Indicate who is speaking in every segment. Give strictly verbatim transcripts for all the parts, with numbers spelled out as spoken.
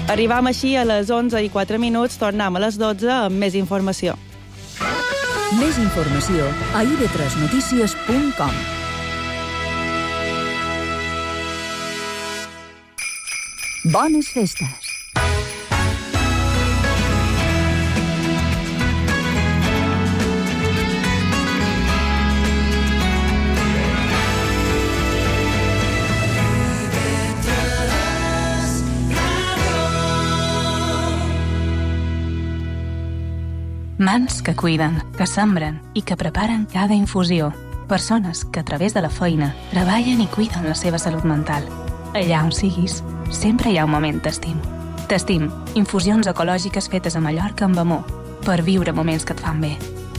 Speaker 1: Arribam així a les onze i quatre minuts, tornem a les dotze amb més informació.
Speaker 2: Més informació a i ve tres notícies punt com. Bones festes!
Speaker 3: Mans que cuiden, que sembren i que preparen cada infusió. Persones que a través de la feina treballen i cuiden la seva salut mental. Allà on siguis, sempre hi ha un moment t'estim. T'estim, infusions ecològiques fetes a Mallorca amb amor, per viure moments que et fan bé.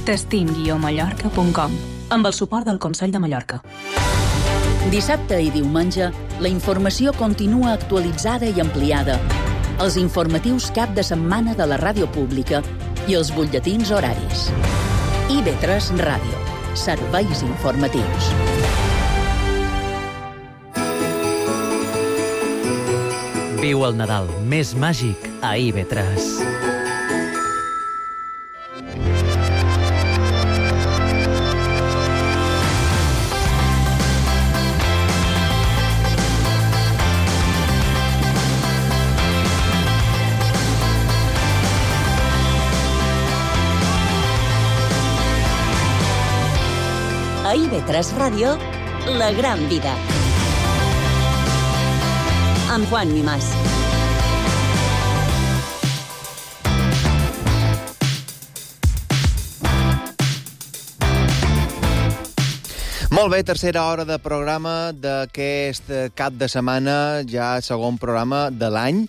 Speaker 3: t'estim guió mallorca punt com, amb el suport del Consell de Mallorca.
Speaker 2: Dissabte i diumenge, la informació continua actualitzada i ampliada. Els informatius cap de setmana de la ràdio pública i els butlletins horaris. i ve tres Ràdio. Serveis informatius.
Speaker 4: Viu el Nadal més màgic a i ve tres.
Speaker 2: A i ve tres Ràdio, La Gran Vida. Amb Juan Mimàs.
Speaker 5: Molt bé, tercera hora de programa d'aquest cap de setmana, ja segon programa de l'any.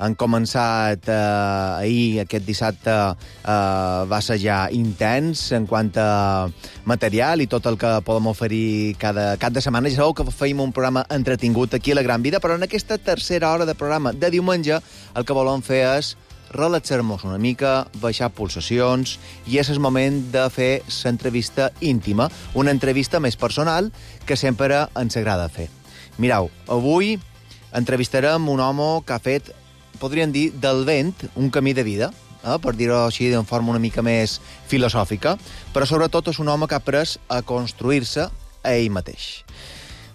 Speaker 5: Han començat eh, ahir, aquest dissabte, eh, va ser ja intens en quant a material i tot el que podem oferir cada cap de setmana. Ja sabeu que feim un programa entretingut aquí a La Gran Vida, però en aquesta tercera hora de programa de diumenge el que volem fer és relaxar-nos una mica, baixar pulsacions, i és el moment de fer l'entrevista íntima, una entrevista més personal que sempre ens agrada fer. Mireu, avui entrevistarem un home que ha fet, podríem dir, del vent un camí de vida, eh, per dir-ho així de forma una mica més filosòfica, però sobretot és un home que ha après a construir-se a ell mateix.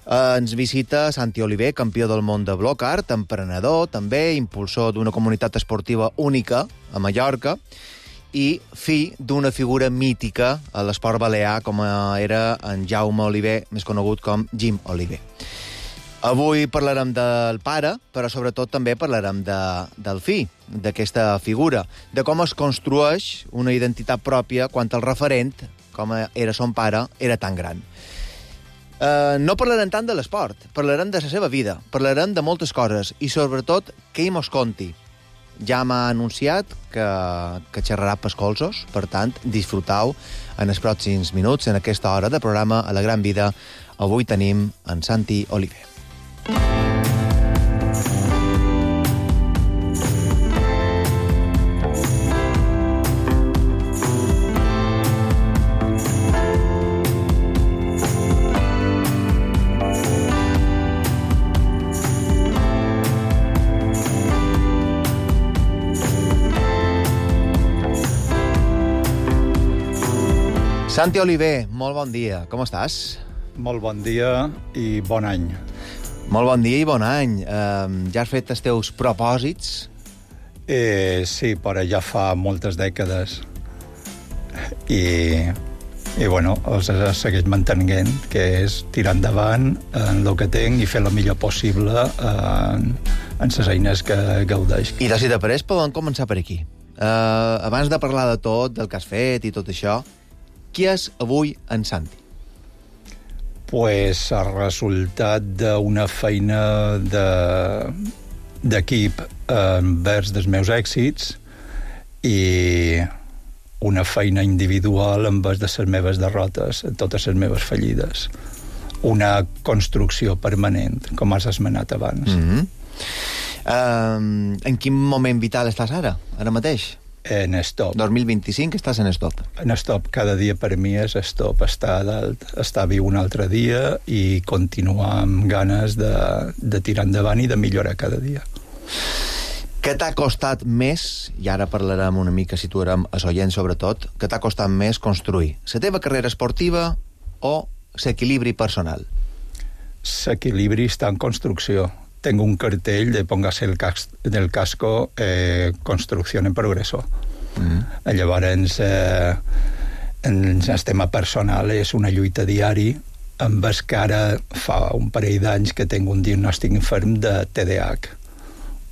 Speaker 5: Eh, ens visita Santi Oliver, campió del món de bloc art, emprenedor, també impulsor d'una comunitat esportiva única a Mallorca i fill d'una figura mítica a l'esport balear com era en Jaume Oliver, més conegut com Jim Oliver. Avui parlarem del pare, però sobretot també parlarem de, del fill, d'aquesta figura, de com es construeix una identitat pròpia quan el referent, com era son pare, era tan gran. Uh, no parlarem tant de l'esport, parlarem de la seva vida, parlarem de moltes coses i sobretot que ell mos conti. Ja m'ha anunciat que, que xerrarà pels colzos, per tant, disfrutau en els pròxims minuts, en aquesta hora de programa a La Gran Vida. Avui tenim en Santi Oliver. Santi Oliver, molt bon dia. Com estàs?
Speaker 6: Molt bon dia i bon any.
Speaker 5: Molt bon dia i bon any. Uh, ja has fet els teus propòsits?
Speaker 6: Eh, sí, però ja fa moltes dècades. I, i bueno, els segueix mantenint, que és tirar endavant en el que tinc i fer el millor possible en, en les eines que gaudeix.
Speaker 5: I de si d'apareix podem començar per aquí. Uh, abans de parlar de tot, del que has fet i tot això, qui és avui en Santi?
Speaker 6: Pues el resultat d'una feina de, d'equip envers dels meus èxits i una feina individual envers de les meves derrotes, totes les meves fallides. Una construcció permanent, com has esmenat abans.
Speaker 5: Mm-hmm. uh, en quin moment vital estàs ara, ara mateix?
Speaker 6: En stop.
Speaker 5: dos mil vint-i-cinc estàs en stop.
Speaker 6: En stop. Cada dia per mi és stop. Estar dalt, estar viu un altre dia i continuar amb ganes de, de tirar endavant i de millorar cada dia.
Speaker 5: Què t'ha costat més, i ara parlarem una mica, situarem a l'oient sobretot, què t'ha costat més construir? La teva carrera esportiva o l'equilibri personal?
Speaker 6: L'equilibri està en construcció. Tengo un cartell de póngase el, cas del casco eh, construcción en progreso. Mm. Llavors, eh, en el tema personal és una lluita diari, amb el que ara fa un parell d'anys que tinc un diagnòstic inferm de T D A H,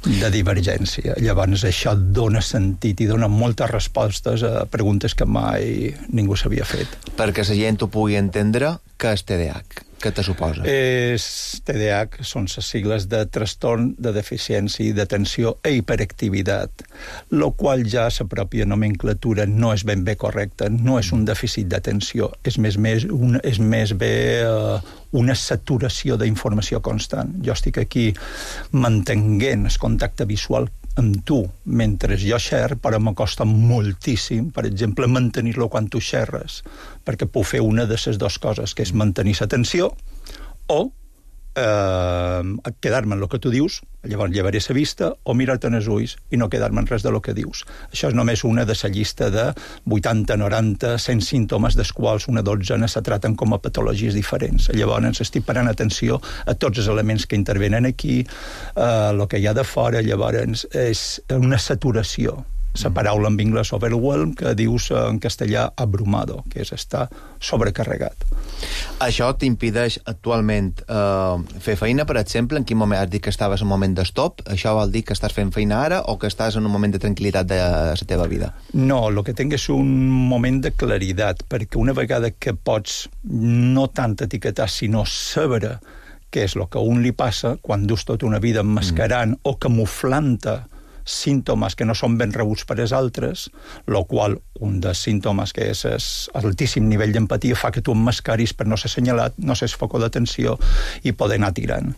Speaker 6: de divergència. Llavors això dona sentit i dona moltes respostes a preguntes que mai ningú s'havia fet.
Speaker 5: Perquè la gent ho pugui entendre, què és T D A H? Què te suposa?
Speaker 6: És, T D A H són les sigles de trastorn de deficiència d'atenció e hiperactivitat, lo qual ja la pròpia nomenclatura no és ben bé correcta, no és un dèficit d'atenció, és més, més, un, és més bé uh, una saturació d'informació constant. Jo estic aquí mantenint el contacte visual amb tu mentre jo xer, però m'acosta moltíssim, per exemple, mantenir-lo quan tu xerres, perquè puc fer una de les dues coses, que és mantenir l'atenció o eh, quedar-me en el que tu dius, llavors llevaré la vista, o mirar-te en els ulls i no quedar-me en res de lo que dius. Això és només una de la llista de vuitanta, noranta, cent símptomes, dels quals una dotzena se traten com a patologies diferents. Llavors estic parant atenció a tots els elements que intervenen aquí, a el que hi ha de fora, llavors és una saturació. La paraula en anglès overwhelm, que dius en castellà abrumado, que és estar sobrecarregat.
Speaker 5: Això t'impedeix actualment eh, fer feina, per exemple? En quin moment has dit que estaves en un moment d'estop? Això vol dir que estàs fent feina ara o que estàs en un moment de tranquil·litat de la teva vida?
Speaker 6: No, el que tinc és un moment de claritat, perquè una vegada que pots no tant etiquetar, sinó saber què és el que a un li passa quan dus tota una vida emmascarant mm. o camuflant-te símptomes que no són ben rebuts per als altres, el qual un dels símptomes que és altíssim nivell d'empatia fa que tu emmascaris per no ser assenyalat, no ser foco d'atenció i poder anar tirant.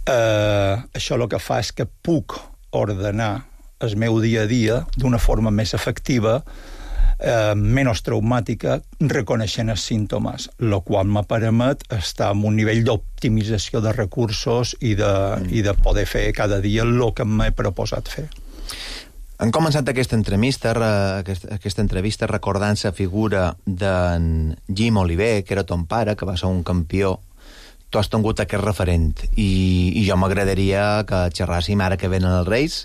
Speaker 6: Eh, això el que fa és que puc ordenar el meu dia a dia d'una forma més efectiva, eh, menys traumàtica, reconeixent els símptomes, el qual me permet estar en un nivell d'optimització de recursos i de, mm. i de poder fer cada dia el que m'he proposat fer.
Speaker 5: Han començat aquesta entrevista, aquesta, aquesta entrevista recordant la figura d'en Jim Oliver, que era ton pare, que va ser un campió. Tu has tingut aquest referent i, i jo m'agradaria que xerràssim ara que venen els Reis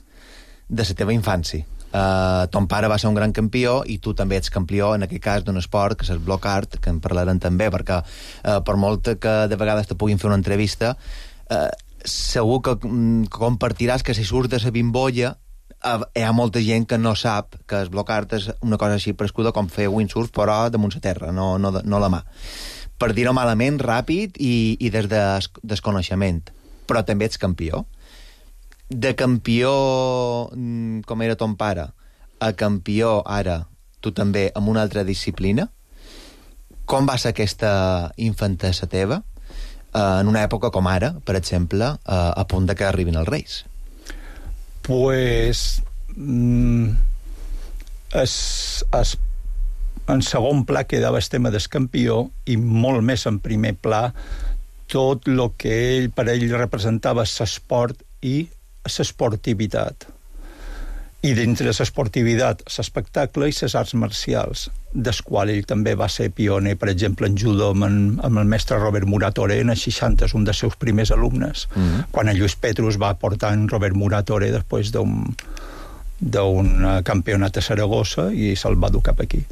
Speaker 5: de la teva infància. Uh, ton pare va ser un gran campió i tu també ets campió, en aquest cas, d'un esport que és el block art, que en parlarem també, perquè uh, per molt que de vegades te puguin fer una entrevista, uh, segur que um, compartiràs que si surts de la bimbolla uh, hi ha molta gent que no sap que el block art és una cosa així prescuda com fer windsurf, però damunt la terra, no, no, no la mà. Per dir-ho malament, ràpid i, i des de desconeixement. Però també ets campió. De campió, com era ton pare, a campió ara, tu també, amb una altra disciplina, com va ser aquesta infantesa teva en una època com ara, per exemple, a punt de que arribin els Reis?
Speaker 6: Pues... Mm, es, es, en segon pla quedava el tema del campió i molt més en primer pla tot el que ell, per ell representava l'esport i l'esportivitat. I dintre de l'esportivitat, l'espectacle i les arts marcials, des qual ell també va ser pioner, per exemple, en judo amb, en, amb el mestre Robert Muratore en els seixanta, és un dels seus primers alumnes. Mm-hmm. Quan en Lluís Petrus va portar en Robert Muratore després d'un, d'un campionat a Saragossa i se'l va dur cap aquí.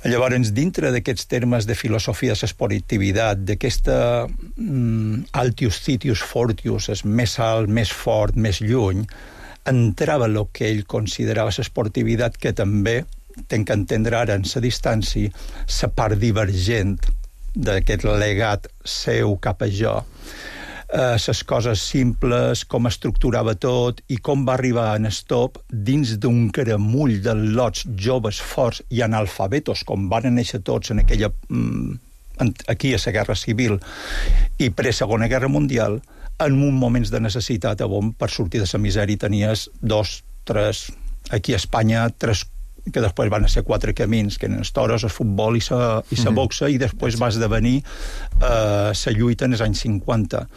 Speaker 6: Llavors, dintre d'aquests termes de filosofia de l'esportivitat, d'aquesta mm, altius citius fortius, és més alt, més fort, més lluny, entrava el que ell considerava l'esportivitat, que també tenc que entendre ara en la distància la part divergent d'aquest legat seu cap a jo. Les eh, coses simples, com estructurava tot i com va arribar en stop dins d'un caramull de lots joves forts i analfabetos, com van néixer tots en aquella, aquí a la Guerra Civil i pre-Segona Guerra Mundial, en un moments de necessitat on per sortir de la misèria tenies dos, tres, aquí a Espanya, tres, que després van ser quatre camins, que eren els toros, el futbol i la i mm-hmm. boxa, i després va esdevenir eh, la lluita en els anys cinquanta.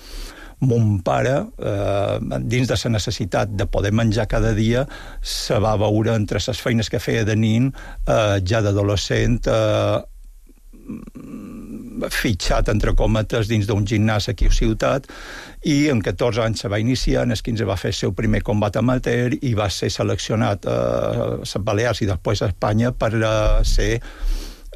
Speaker 6: mon pare, eh, dins de la necessitat de poder menjar cada dia, se va veure entre les feines que feia de nin, eh, ja d'adolescent, eh, fitxat, entre cometes, dins d'un gimnàs aquí a Ciutat, i en catorze anys se va iniciar, en els quinze va fer el seu primer combat amateur i va ser seleccionat a les Balears i després a Espanya per ser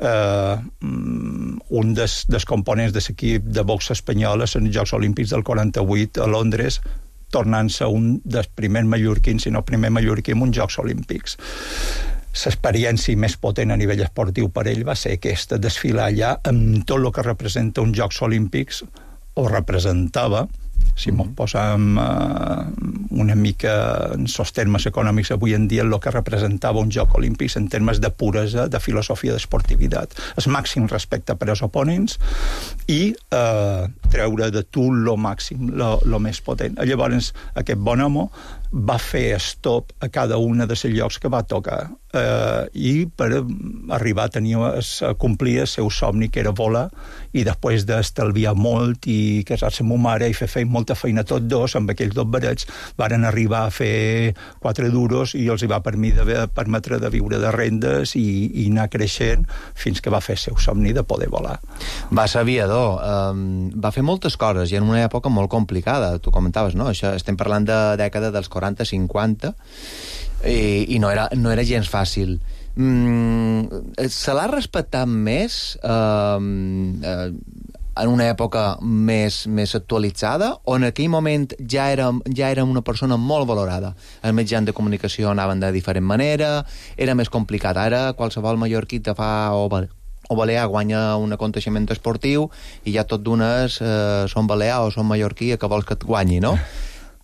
Speaker 6: eh, un dels, dels components de l'equip de box espanyol en els Jocs Olímpics del quaranta-vuit a Londres, tornant-se un dels primers mallorquins, si no primer mallorquí en uns Jocs Olímpics. L'experiència més potent a nivell esportiu per ell va ser aquesta, desfilar allà amb tot el que representa uns Jocs Olímpics, o representava, si m'ho posem uh, una mica en els termes econòmics avui en dia, el que representava un Joc Olímpics en termes de puresa, de filosofia d'esportivitat. El màxim respecte per als oponents i uh, treure de tu lo màxim, lo, lo més potent. Llavors, aquest bon home va fer stop a cada una de els llocs que va tocar eh, i per arribar a tenir a complir el seu somni, que era volar, i després d'estalviar molt i casar-se amb ma mare i fer feina, molta feina tots dos, amb aquells dos barets, varen arribar a fer quatre duros i els hi va permetre de viure de rendes i, i anar creixent fins que va fer el seu somni de poder volar.
Speaker 5: Va ser aviador, um, va fer moltes coses i en una època molt complicada, tu comentaves, no? Això, estem parlant de dècada dels quaranta cinquanta i, i no, era, no era gens fàcil. Mm, se l'ha respectat més eh, eh, en una època més, més actualitzada o en aquell moment ja era, ja era una persona molt valorada? Els mitjans de comunicació anaven de diferent manera, era més complicat. Ara qualsevol mallorquí te fa o, o balear guanya un aconteixement esportiu i ja tot d'unes eh, són balear o són mallorquí que vols que et guanyi, no?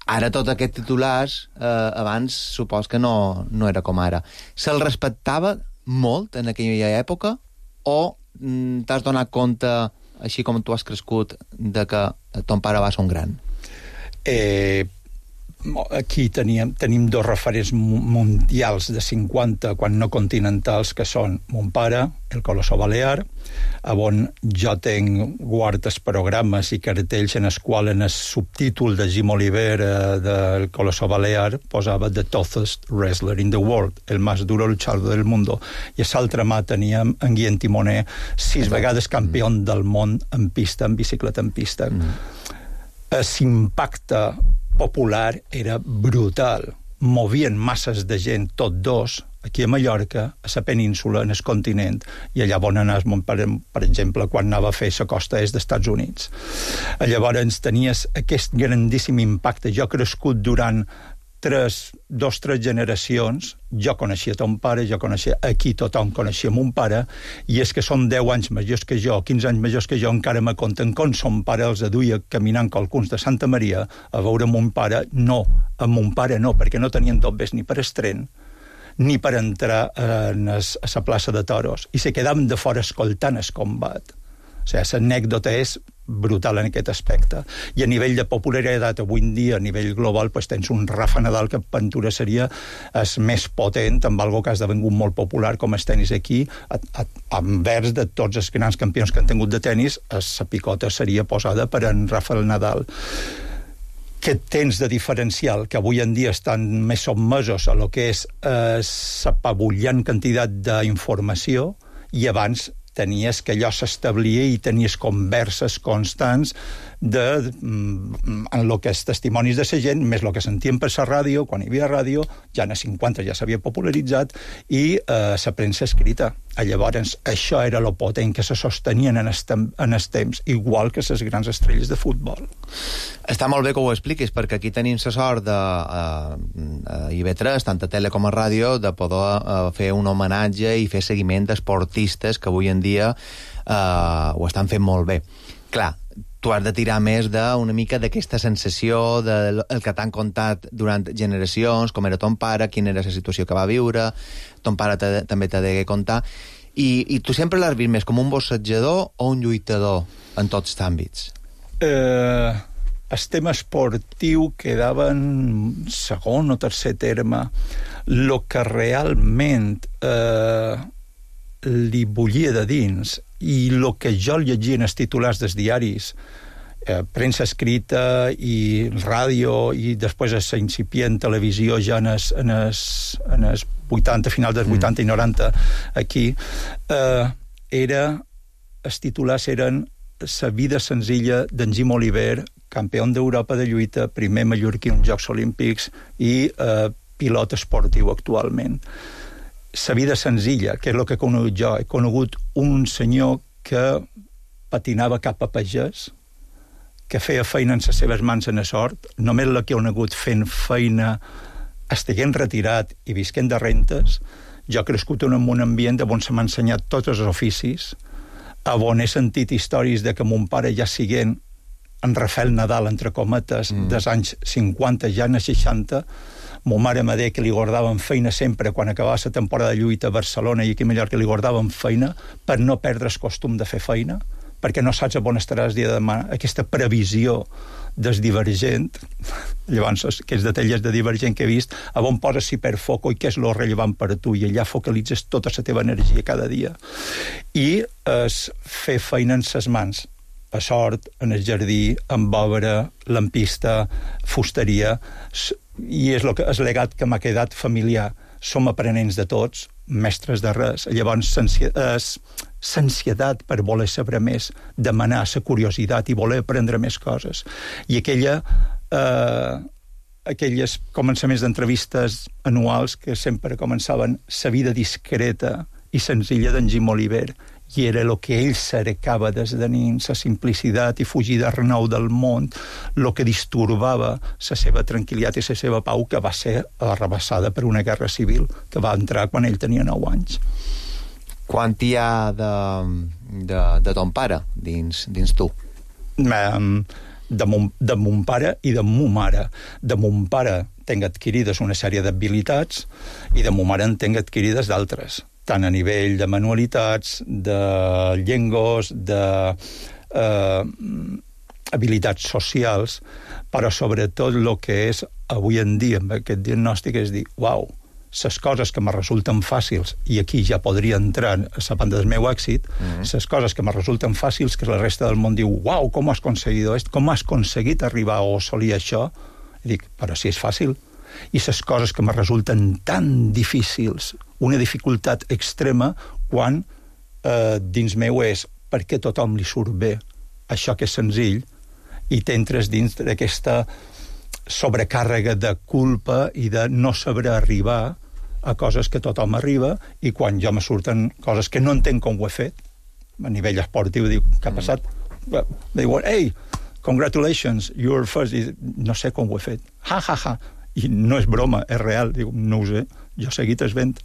Speaker 5: Ara tots aquests titulars, eh, abans supos que no, no era com ara. Se'l respectava molt en aquella època o mm, t'has donat compte, així com tu has crescut, de que ton pare va ser un gran?
Speaker 6: Eh, aquí teníem, tenim dos referents mundials de cinquanta, quan no continentals, que són mon pare, el Colossó Balear, on jo tenc guardes programes i cartells en els quals en el subtítol de Jim Oliver eh, del Colossó Balear posava The toughest wrestler in the world, el más duro luchador del mundo, i a l'altra mà teníem en Guillem Timoner, sis vegades campió del món en pista, en bicicleta en pista. Mm. L'impacte popular era brutal. Movien masses de gent, tot dos, aquí a Mallorca, a la península, en el continent, i allà on anaves, per, per exemple, quan anava a fer la costa est dels Estats Units. Llavors tenies aquest grandíssim impacte. Jo he crescut durant tres, dos, tres generacions, jo coneixia ton pare, jo coneixia, aquí tothom coneixia mon pare, i és que són deu anys majors que jo, quinze anys majors que jo, encara me conten com son pare els aduia caminant qualcuns de Santa Maria a veure mon pare. No, amb mon pare no, perquè no tenien dobbes ni per estren, ni per entrar en es, a la plaça de toros, i se quedaven de fora escoltant el combat. O sigui, l'anècdota és brutal en aquest aspecte. I a nivell de popularitat avui en dia, a nivell global, pues, tens un Rafa Nadal que per ventura seria el més potent, amb algo que ha esdevingut molt popular com el tenis aquí, a, a, envers de tots els grans campions que han tingut de tenis, la picota seria posada per en Rafael Nadal. Què tens de diferencial? Que avui en dia estan més sotmesos a lo que és eh, l'apabullant quantitat d'informació, i abans tenies que allò s'establia i tenies converses constants de, en el que és testimonis de la gent, més el que sentíem per la ràdio, quan hi havia ràdio, ja en els cinquanta ja s'havia popularitzat, i eh, la premsa escrita. Llavors, això era lo potent que se sostenien en els temps, igual que les grans estrelles de futbol.
Speaker 5: Està molt bé que ho expliquis, perquè aquí tenim la sort de, a, a I V tres, tant a tele com a ràdio, de poder a, fer un homenatge i fer seguiment d'esportistes que avui en dia eh, ho estan fent molt bé. Clar, tu has de tirar més d'una mica d'aquesta sensació del que t'han contat durant generacions, com era ton pare, quina era la situació que va viure, ton pare te, també t'ha de contar, i, i tu sempre l'has vist més com un boxejador o un lluitador en tots els àmbits?
Speaker 6: Eh, el tema esportiu quedava en segon o tercer terme. El que realment eh, li bullia de dins i el que jo llegia en els titulars dels diaris eh, premsa escrita i ràdio i després la incipient televisió ja en els, en els, en els vuitanta, final dels vuitanta mm. i noranta aquí, eh, era, els titulars eren La vida senzilla d'en Jim Oliver, campió d'Europa de lluita, primer mallorquí en Jocs Olímpics i eh, pilot esportiu actualment. La vida senzilla, que és el que he conegut jo. He conegut un senyor que patinava cap a pagès, que feia feina en les seves mans en la sort, només la que he conegut fent feina estiguent retirat i visquent de rentes. Jo he crescut en un ambient on se m'ha ensenyat tots els oficis, on he sentit històries de que mon pare ja siguent en Rafael Nadal, entre cometes, mm. dels anys cinquanta, ja en els seixanta, mo mare me deia que li guardaven feina sempre quan acabava la temporada de lluita a Barcelona i aquí a Mallorca li guardaven feina per no perdre el costum de fer feina, perquè no saps on estaràs el dia de demà. Aquesta previsió del Divergent, llavors aquests detalls de Divergent que he vist, a on poses si per foco i què és lo rellevant per tu, i allà focalitzes tota la teva energia cada dia. I es fer feina en ses mans, a sort, en el jardí, en obra, lampista, fusteria, i és el, que, el legat que m'ha quedat familiar. Som aprenents de tots, mestres de res. Llavors, l'ansietat per voler saber més, demanar la curiositat i voler aprendre més coses. I aquella, eh, aquelles començaments d'entrevistes anuals que sempre començaven la vida discreta i senzilla d'en Jim Oliver, i era el que ell cercava des de nins, la simplicitat i fugir de renou del món, el que disturbava la seva tranquil·litat i la seva pau, que va ser arrabassada per una guerra civil que va entrar quan ell tenia nou anys.
Speaker 5: Quant hi ha de, de, de ton pare dins, dins tu?
Speaker 6: Um, de, mon, de mon pare i de mon mare. De mon pare tenc adquirides una sèrie d'habilitats i de mon mare en tenc adquirides d'altres, tant a nivell de manualitats, de llengües, de eh, habilitats socials, però sobretot el que és avui en dia amb aquest diagnòstic és dir, uau, les coses que me resulten fàcils, i aquí ja podria entrar a la banda del meu èxit, les mm-hmm. coses que me resulten fàcils, que la resta del món diu, uau, com has aconseguit esto? Com has aconseguit arribar o assolir això? I dic, però si és fàcil. I les coses que me resulten tan difícils, una dificultat extrema, quan eh, dins meu és perquè tothom li surt bé això que és senzill, i t'entres dins d'aquesta sobrecàrrega de culpa i de no saber arribar a coses que tothom arriba, i quan jo me surten coses que no entenc com ho he fet, a nivell esportiu, diu, què ha passat? Mm. Diuen, hey, congratulations, you're first. I no sé com ho he fet. Ha, ha, ha. I no és broma, és real. Diu, no ho sé, jo he seguit esvent.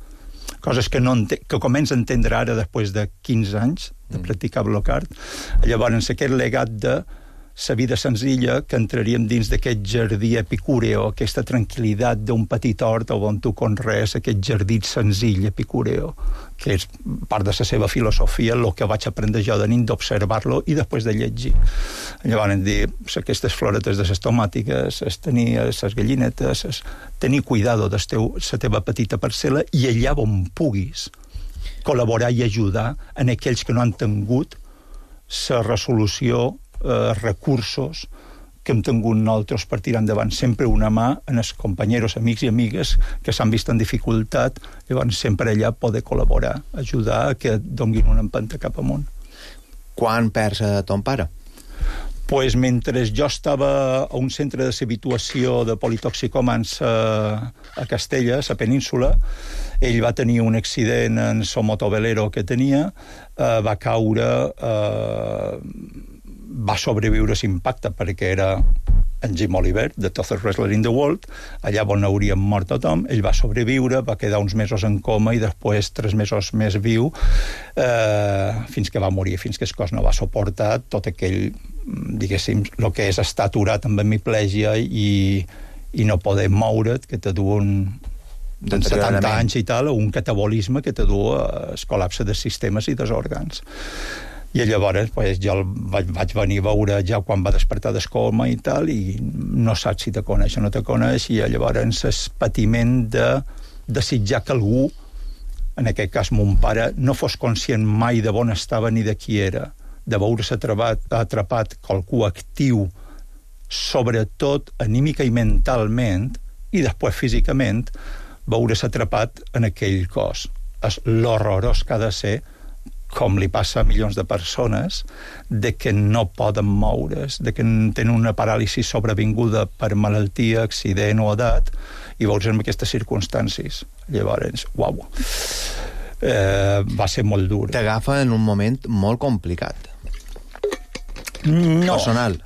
Speaker 6: Coses que, no ente- que començo a entendre ara després de quinze anys de practicar bloc-art. Llavors, aquest legat de la vida senzilla, que entraríem dins d'aquest jardí epicúreo, aquesta tranquil·litat d'un petit hort on tu conrees aquest jardí senzill epicúreo, que és part de la seva filosofia, el que vaig aprendre jo de nit, d'observar-lo i després de llegir. Llavors, dir, aquestes floretes de les tomàtiques, es tenir les gallinetes, es tenir cuidado de la teva petita parcel·la, i allà on puguis col·laborar i ajudar en aquells que no han tingut la resolució, eh, recursos que hem tingut nosaltres per tirar endavant. Sempre una mà en els companys, amics i amigues que s'han vist en dificultat, llavors sempre allà poder col·laborar, ajudar a que donguin una empenta cap amunt.
Speaker 5: Quan perds a ton pare?
Speaker 6: Pues mentre jo estava a un centre de habituació de politoxicòmans a, a Castella, a la península, ell va tenir un accident en el motovelero que tenia, eh, va caure, eh, va sobreviure l'impacte perquè era en Jim Oliver, the toughest wrestler in the world, allà on hauríem mort tothom. Ell va sobreviure, va quedar uns mesos en coma i després tres mesos més viu, eh, fins que va morir, fins que el cos no va suportar tot aquell, diguéssim, el que és estar aturat amb hemiplegia i, i no poder moure't, que te du un, de setanta anys i tal, un catabolisme que te du al col·lapse dels sistemes i dels òrgans. I llavors pues, jo el vaig, vaig venir a veure ja quan va despertar del coma i tal, i no saps si te coneix o no te coneix, i llavors el patiment de desitjar que algú, en aquest cas mon pare, no fos conscient mai de on estava ni de qui era, de veure's atrapat, atrapat qualcú actiu, sobretot anímica i mentalment, i després físicament, veure's atrapat en aquell cos. És l'horrorós que ha de ser, com li passa a milions de persones, de que no poden moure's, de que tenen una paràlisi sobrevinguda per malaltia, accident o edat, i veus en aquestes circumstàncies. Llavors, uau, eh, va ser molt dur.
Speaker 5: T'agafa en un moment molt complicat.
Speaker 6: No.
Speaker 5: Personal.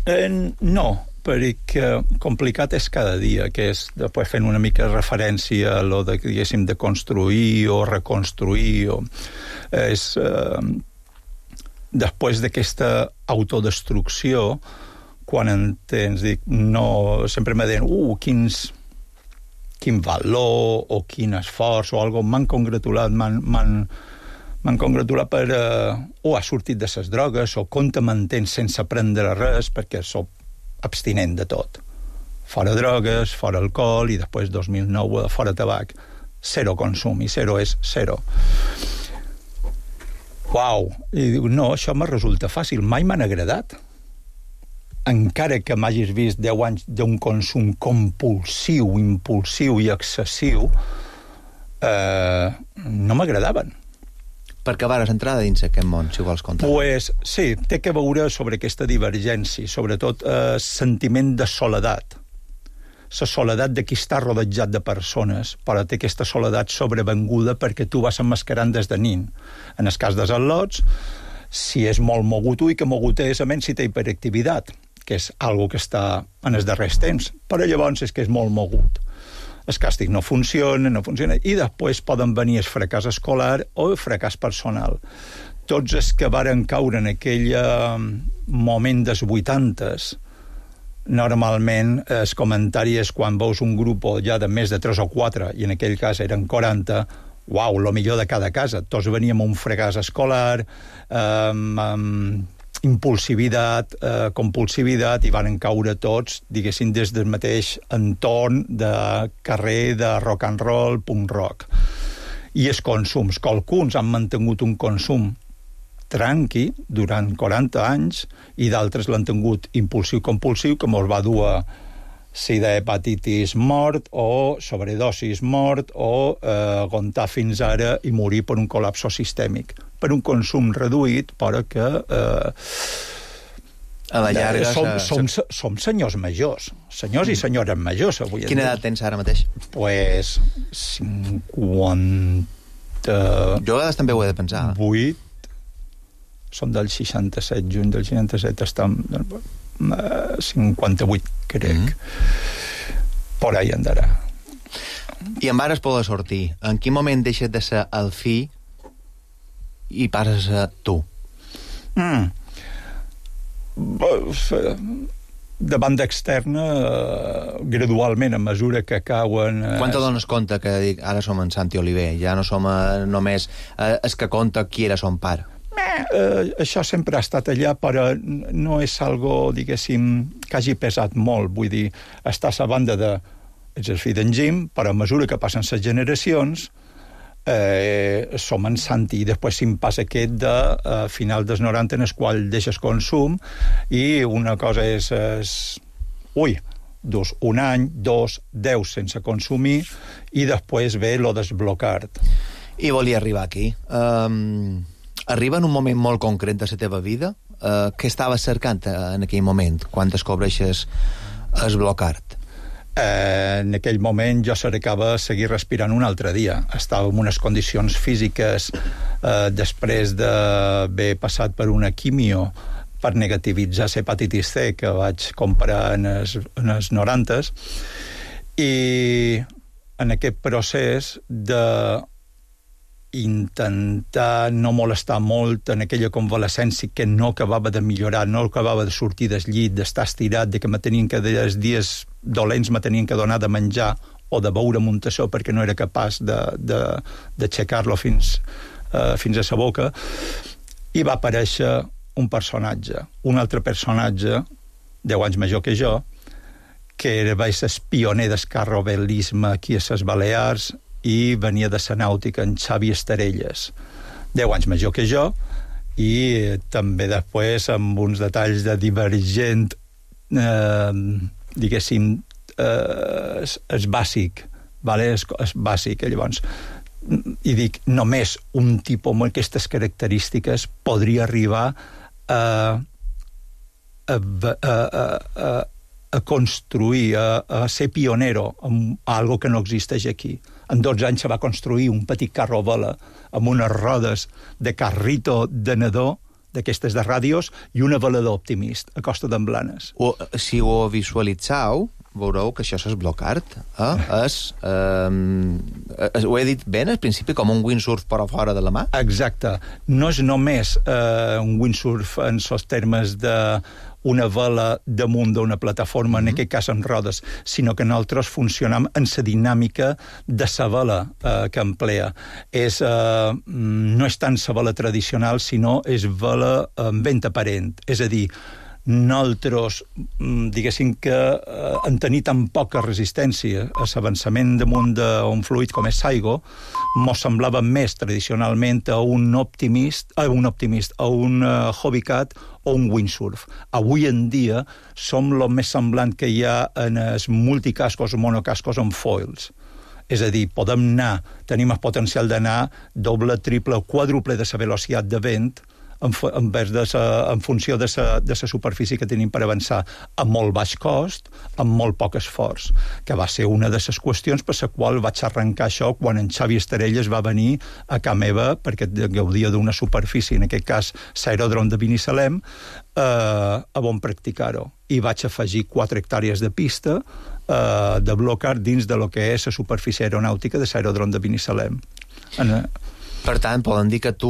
Speaker 6: Eh, no, perquè complicat és cada dia, que és després fent una mica referència a lo de, diguéssim, de construir o reconstruir, o és eh, després d'aquesta autodestrucció, quan entens, dic, no, sempre me deien, uh, quins, quin valor o quin esforç o algo, m'han congratulat, m'han, m'han, m'han congratulat per, eh, o ha sortit de ses drogues, o com te mantens sense prendre res, perquè soc abstinent de tot. Fora drogues, fora alcohol, i després dos mil nou fora tabac. Zero consum, i zero és zero. Uau! I dic, no, això me resulta fàcil. Mai m'han agradat. Encara que m'hagis vist deu anys d'un consum compulsiu, impulsiu i excessiu, eh, no m'agradaven.
Speaker 5: Per què vares entrar dins aquest món, si vols contar?
Speaker 6: Pues, sí, té que veure sobre aquesta divergència, sobretot eh, sentiment de soledat. La soledat de qui està rodejat de persones, però té aquesta soledat sobrevenguda perquè tu vas emmascarant des de nin. En el cas dels al·lots, si és molt mogut, ui, que mogut és, a menys si té hiperactivitat, que és algo que està en els darrers temps, però llavors és que és molt mogut. El càstig no funciona, no funciona, i després poden venir el fracàs escolar o el fracàs personal. Tots els que varen caure en aquell moment dels vuitantes, normalment el comentari és quan veus un grup ja de més de tres o quatre, i en aquell cas eren quaranta, uau, lo millor de cada casa. Tots veníem a un fracàs escolar, amb... amb impulsivitat, eh, compulsivitat, i van caure tots, diguéssim, des del mateix entorn de carrer, de rock and roll, punk rock. I els consums. Qualcuns han mantingut un consum tranqui durant quaranta anys, i d'altres l'han tingut impulsiu-compulsiu, que mos va dur a sida, hepatitis, mort, o sobredosis, mort, o eh, aguantar fins ara i morir per un col·lapso sistèmic, per un consum reduït, però que eh,
Speaker 5: a la llarga...
Speaker 6: Som, som, som senyors majors, senyors i senyores majors, avui.
Speaker 5: Quina edat tens ara mateix?
Speaker 6: Pues cinquanta...
Speaker 5: Jo a vegades també ho he de pensar.
Speaker 6: vuit, som del seixanta-set, juny del seixanta-set, estem... cinquanta-vuit, crec. Mm. Por ahí andarà.
Speaker 5: I en vares poder sortir. En quin moment deixes de ser el fill i passes a tu?
Speaker 6: Mm. De banda externa, gradualment, a mesura que cauen...
Speaker 5: Quan te dones compte que dic, ara som en Santi Oliver, ja no som només els que conta qui era son pare?
Speaker 6: Eh, això sempre ha estat allà, però no és algo, diguéssim, que hagi pesat molt. Vull dir, està a la banda de... Ets el fill d'en Jim, però a mesura que passen les generacions, eh, som en Santi, i després se'n passa aquest de eh, final dels noranta, en el qual deixes consum, i una cosa és... és ui, dus un any, dos, deu sense consumir, i després ve lo desblocar-te.
Speaker 5: I volia arribar aquí. Um... Arriba en un moment molt concret de la teva vida? Uh, què estaves cercant en aquell moment, quan descobreixes el blocar-te?
Speaker 6: Eh, en aquell moment jo cercava seguir respirant un altre dia. Estava en unes condicions físiques eh, després d'haver passat per una quimio per negativitzar l'hepatitis C que vaig comprar en els, en els norantes, i en aquest procés de intentar no molestar molt en aquella convalescència que no acabava de millorar, no acabava de sortir del llit, d'estar estirat, de que me tenien que, els dies dolents me tenien que donar de menjar o de beure muntassó perquè no era capaç d'aixecar-lo fins, uh, fins a sa boca, i va aparèixer un personatge, un altre personatge, deu anys major que jo, que era el pioner del carrovelisme aquí a les Balears, i venia de la nàutica en Xavi Estarelles, deu anys major que jo, i també després amb uns detalls de Divergent, eh, diguéssim, eh, és, és bàsic, vale? és, és bàsic, llavors i dic, només un tipus amb aquestes característiques podria arribar a, a, a, a, a construir, a, a ser pionero en algo que no existeix aquí. En dotze anys se va construir un petit carro a vela amb unes rodes de carrito de nadó, d'aquestes de ràdios, i una velador Optimist a Costa d'en Blanes.
Speaker 5: O, si ho visualitzau, veureu que això és Block Art. Eh? És, eh, ho he dit ben al principi, com un windsurf per a fora de la mà?
Speaker 6: Exacte. No és només eh, un windsurf en els termes de una vela damunt d'una plataforma, mm-hmm. en aquest cas amb rodes, sinó que nosaltres funcionam en la dinàmica de la vela eh, que emplea. És, eh, no és tant la vela tradicional, sinó és vela amb vent aparent. És a dir, nosaltres, diguéssim que eh, en tenir tan poca resistència a l'avançament damunt d'un fluid com és Saigo, mos semblava més tradicionalment a un Optimist, a un Optimist, a un uh, Hobbycat o un windsurf. Avui en dia som el més semblant que hi ha en els multicascos o monocascos amb foils. És a dir, podem anar, tenim el potencial d'anar doble, triple o quàdruple de la velocitat de vent en, en, de sa, en funció de la de sa superfície que tenim per avançar a molt baix cost, amb molt poc esforç, que va ser una de les qüestions per la qual vaig arrencar això quan en Xavi Esterelles va venir a casa meva, perquè gaudia d'una superfície, en aquest cas l'aeròdrom de Binissalem, eh, a on practicar-ho. I vaig afegir quatre hectàrees de pista eh, de Block Art dins de lo que és la superfície aeronàutica de l'aeròdrom de Binissalem. En,
Speaker 5: Per tant, poden dir que tu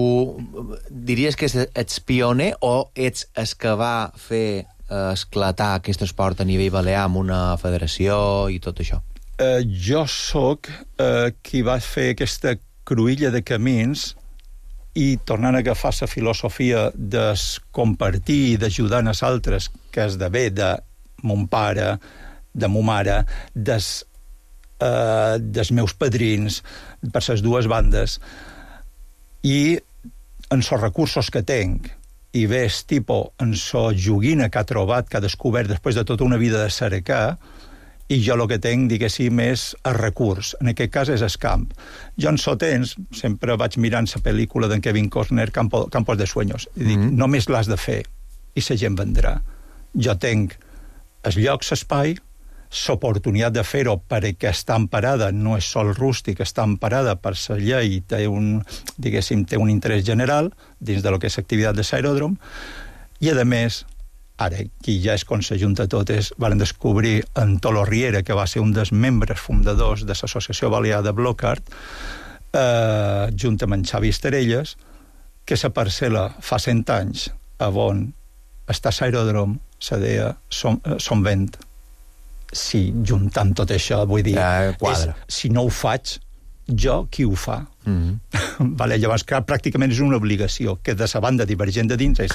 Speaker 5: diries que ets pioner o ets el que va fer esclatar aquest esport a nivell balear amb una federació i tot això?
Speaker 6: Eh, jo sóc eh, qui va fer aquesta cruïlla de camins i tornant a agafar la filosofia de compartir i d'ajudar als altres, que esdevé de mon pare, de mo mare, des, eh, dels meus padrins, per les dues bandes, i en els recursos que tenc, i ves, tipus, en la joguina que ha trobat, que ha descobert després de tota una vida de cercar, i jo el que tenc, diguéssim, és el recurs. En aquest cas és el camp. Jo en so temps, sempre vaig mirant la pel·lícula d'en Kevin Costner, Campo, Campos de Sueños, i dic, mm-hmm. només l'has de fer, i la gent vendrà. Jo tenc els llocs, l'espai, l'oportunitat de fer-ho perquè està emparada, no és sol rústic, està emparada per la llei, té un, diguéssim, té un interès general dins de lo que és l'activitat de l'aeròdrom, i a més, ara, qui ja és com s'ajunta tot, és, van descobrir en Tolo Riera, que va ser un dels membres fundadors de l'Associació Balear de Block Art, eh, junt amb en Xavi Esterelles, que la parcel·la fa cent anys, a on està l'aeròdrom, se deia Son, eh, Son Vent. Si juntant tot això, vull dir,
Speaker 5: ja, és,
Speaker 6: si no ho faig, jo, qui ho fa? Mm-hmm. Vale, llavors, clar, pràcticament és una obligació, que de la banda Divergent de dins és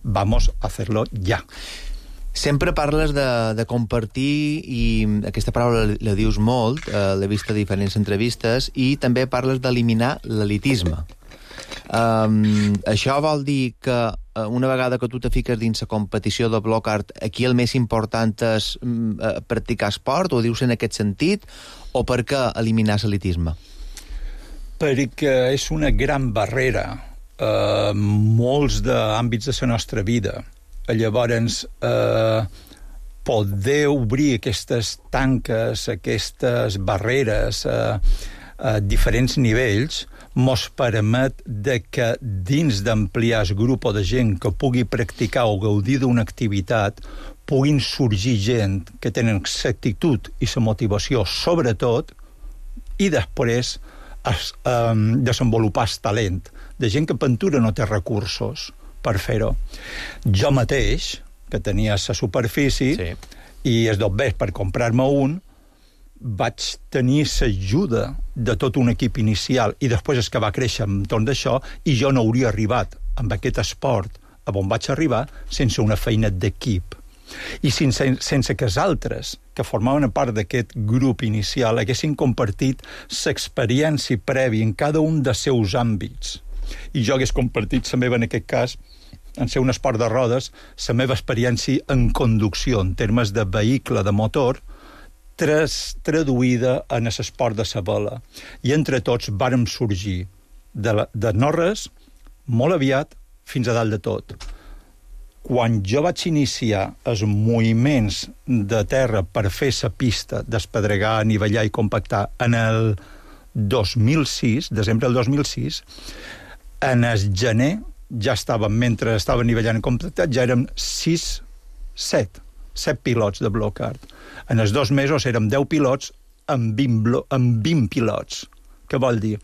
Speaker 6: vamos a hacerlo ja.
Speaker 5: Sempre parles de, de compartir, i aquesta paraula la, la dius molt, eh, l'he vist a diferents entrevistes, i també parles d'eliminar l'elitisme. Um, això vol dir que uh, una vegada que tu te fiques dins la competició de Block Art, aquí el més important és um, uh, practicar esport, o dius en aquest sentit, o per què eliminar l'elitisme?
Speaker 6: Perquè és una gran barrera a uh, molts d'àmbits de la nostra vida. Llavors, uh, poder obrir aquestes tanques, aquestes barreres a, a diferents nivells, mos permet de que dins d'ampliar el grup de gent que pugui practicar o gaudir d'una activitat puguin sorgir gent que tenen l'actitud i la motivació sobretot, i després es, um, desenvolupar el talent de gent que pintura no té recursos per fer-ho. Jo mateix, que tenia la superfície, sí. i es dobbés per comprar-me un, vaig tenir l'ajuda de tot un equip inicial, i després és que va créixer entorn d'això, i jo no hauria arribat amb aquest esport a on vaig arribar sense una feina d'equip. I sense, sense que els altres, que formaven part d'aquest grup inicial, haguessin compartit l'experiència prèvia en cada un dels seus àmbits, i jo hagués compartit la meva, en aquest cas, en ser un esport de rodes, la meva experiència en conducció, en termes de vehicle, de motor, tres, traduïda en l'esport de la vela. I entre tots vàrem sorgir de, la, de no res, molt aviat, fins a dalt de tot. Quan jo vaig iniciar els moviments de terra per fer la pista, despedregar, anivellar i compactar en el dos mil sis, desembre del dos mil sis, en el gener ja estàvem, mentre estava anivellant i compactat, ja érem sis, set, set pilots de block-art. En els dos mesos érem deu pilots amb vint, blo- amb vint pilots. Què vol dir?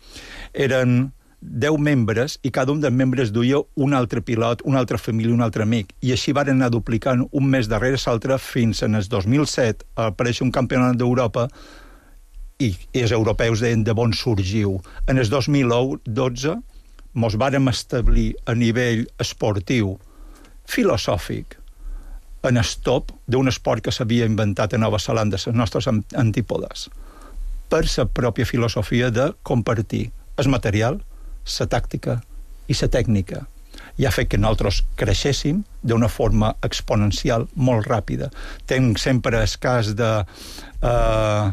Speaker 6: Eren deu membres i cada un dels membres duia un altre pilot, una altra família, un altre amic. I així van anar duplicant un mes darrere l'altre fins en el dos mil set a aparèixer un campionat d'Europa i, i els europeus deien de bon sorgiu. En el dos mil dotze mos vàrem establir a nivell esportiu, filosòfic, en el top d'un esport que s'havia inventat a Nova Zelanda, les nostres antípodes, per la pròpia filosofia de compartir el material, la tàctica i la tècnica. I ha fet que nosaltres creixéssim d'una forma exponencial molt ràpida. Tenc sempre el cas de eh,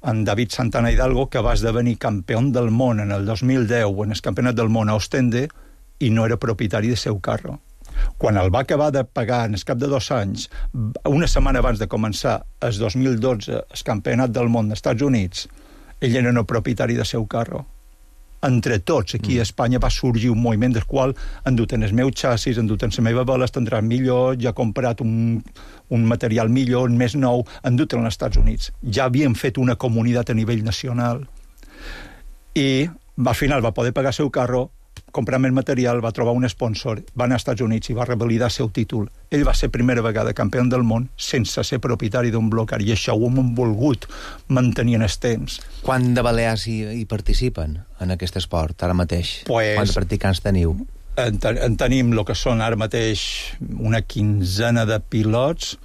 Speaker 6: en David Santana Hidalgo, que va esdevenir campió del món en el dos mil deu en el campionat del món a Ostende i no era propietari del seu carro. Quan el va acabar de pagar en el cap de dos anys, una setmana abans de començar el dos mil dotze el campionat del món dels Estats Units, ell era no propietari del seu carro. Entre tots, aquí a Espanya va sorgir un moviment del qual han dut en el meu xassis, han dut en la meva vela, estendrà millor, ja ha comprat un, un material millor, més nou, han dut en els Estats Units. Ja havien fet una comunitat a nivell nacional. I al final va poder pagar el seu carro, comprar el material, va trobar un sponsor, va anar als Estats Units i va revalidar el seu títol. Ell va ser primera vegada campió del món sense ser propietari d'un bloc, i això ho hem volgut mantenir en el temps.
Speaker 5: Quant de balears hi, hi participen en aquest esport, ara mateix?
Speaker 6: Pues,
Speaker 5: Quants practicants teniu?
Speaker 6: En, ten, en tenim el que són ara mateix una quinzena de pilots.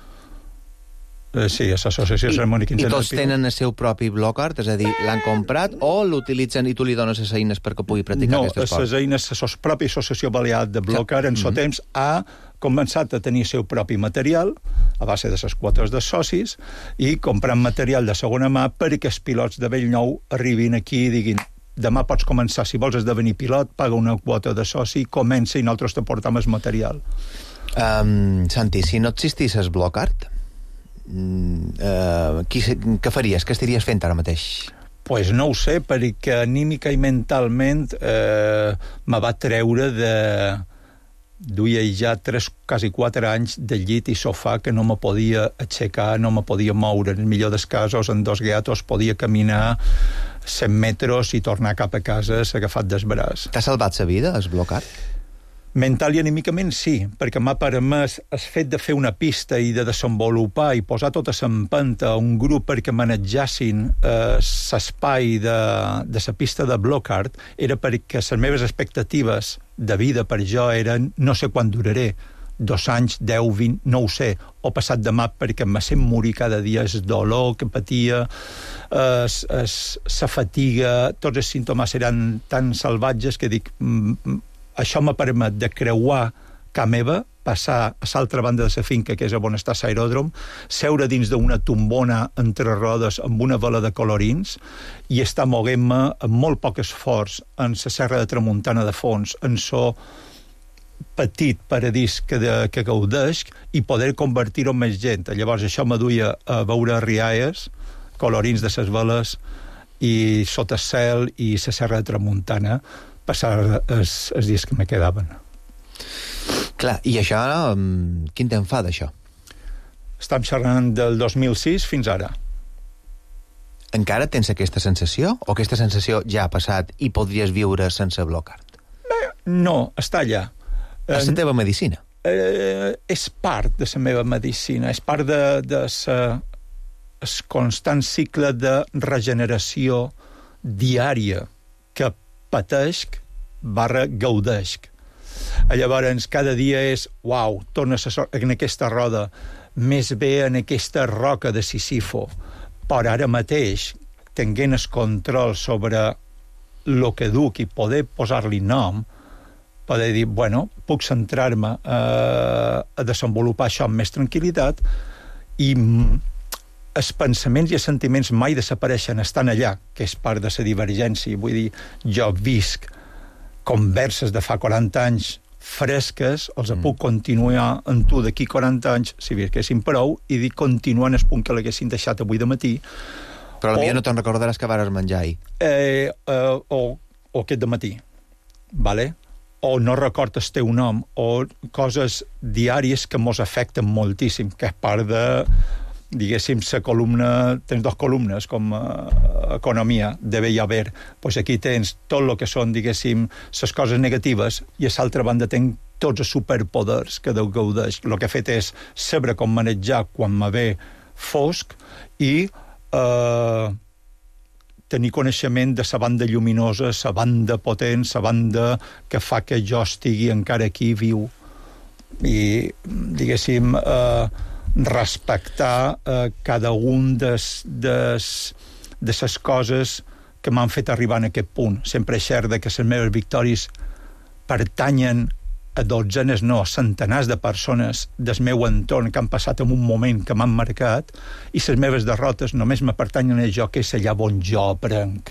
Speaker 6: Eh, sí, a l'associació serem una quinzena
Speaker 5: I
Speaker 6: de
Speaker 5: tots
Speaker 6: pilots.
Speaker 5: tenen el seu propi block-art? És a dir, l'han comprat o l'utilitzen i tu li dones les eines perquè pugui practicar
Speaker 6: no,
Speaker 5: aquest esport?
Speaker 6: No, les eines, la pròpia associació balear de block-art en mm-hmm. temps ha començat a tenir el seu propi material a base de les quotes de socis i comprant material de segona mà perquè els pilots de Bellnou arribin aquí i diguin demà pots començar, si vols esdevenir pilot, paga una quota de soci, comença i nosaltres te portam el material.
Speaker 5: Um, Santi, si no existís el block-art, uh, qui, què faries? Què estaries fent ara mateix?
Speaker 6: Pues no ho sé, perquè anímica i mentalment eh, me va treure de... duia ja tres, quasi quatre anys de llit i sofà que no me podia aixecar, no me podia moure. En el millor dels casos, en dos gatos, podia caminar cent metres i tornar cap a casa agafat del braç.
Speaker 5: T'ha salvat la vida, el block-art?
Speaker 6: Mental i anímicament sí, perquè m'ha permès el fet de fer una pista i de desenvolupar i posar tota l'empenta a un grup perquè manegessin eh, l'espai de, de la pista de block-art, era perquè les meves expectatives de vida per jo eren no sé quan duraré, dos anys, deu, vint, no ho sé, o passat demà perquè me sent morir cada dia, el dolor que patia, la fatiga, tots els símptomes eren tan salvatges que dic... Mm, això m'ha permet de creuar ca meva, passar a l'altra banda de la finca, que és on està l'aeròdrom, seure dins d'una tombona entre rodes amb una vela de colorins i estar moguent-me amb molt poc esforç en la serra de Tramuntana de fons, en so petit paradís que, de, que gaudesc i poder convertir-ho en més gent. Llavors això me duia a veure rialles, colorins de les veles i sota el cel i la serra de Tramuntana, passar els, els dies que me quedaven.
Speaker 5: Clar, i això, quin temps fa d'això?
Speaker 6: Estem xerrant del dos mil sis fins ara.
Speaker 5: Encara tens aquesta sensació? O aquesta sensació ja ha passat i podries viure sense block-art?
Speaker 6: Bé, no, està allà.
Speaker 5: És la teva medicina?
Speaker 6: Eh, és part de la meva medicina, és part de, de sa, el constant cicle de regeneració diària que pateixc barra gaudeixc. Llavors, cada dia és, uau, tornes a en aquesta roda, més bé en aquesta roca de Sisifo. Però ara mateix, tenint el control sobre el que duc i poder posar-li nom, poder dir, bueno, puc centrar-me a, a desenvolupar això amb més tranquil·litat i els pensaments i els sentiments mai desapareixen, estan allà, que és part de la divergència. Vull dir, jo visc converses de fa quaranta anys fresques, els mm. puc continuar amb tu d'aquí quaranta anys, si visquessin prou, i dir continuant el punt que l'haguessin deixat avui de matí.
Speaker 5: Però potser no te'n recordaràs que vares menjar ahir.
Speaker 6: Eh, eh, o, o aquest de matí, vale? O no record el teu nom, o coses diàries que mos afecten moltíssim, que és part de, diguéssim, la columna, tens dos columnes com uh, economia, de bé i haver, doncs aquí tens tot el que són, diguéssim, les coses negatives, i a l'altra banda tens tots els superpoders que Déu gaudeix. El que he fet és saber com manejar quan me ve fosc i uh, tenir coneixement de la banda lluminosa, la banda potent, la banda que fa que jo estigui encara aquí viu. I, diguéssim, eh, respectar eh, cada un des, des, de les coses que m'han fet arribar en aquest punt. Sempre és cert que les meves victòries pertanyen a dotzenes, no, centenars de persones del meu entorn que han passat en un moment que m'han marcat, i les meves derrotes només me pertanyen a jo, que és allà on jo aprenc.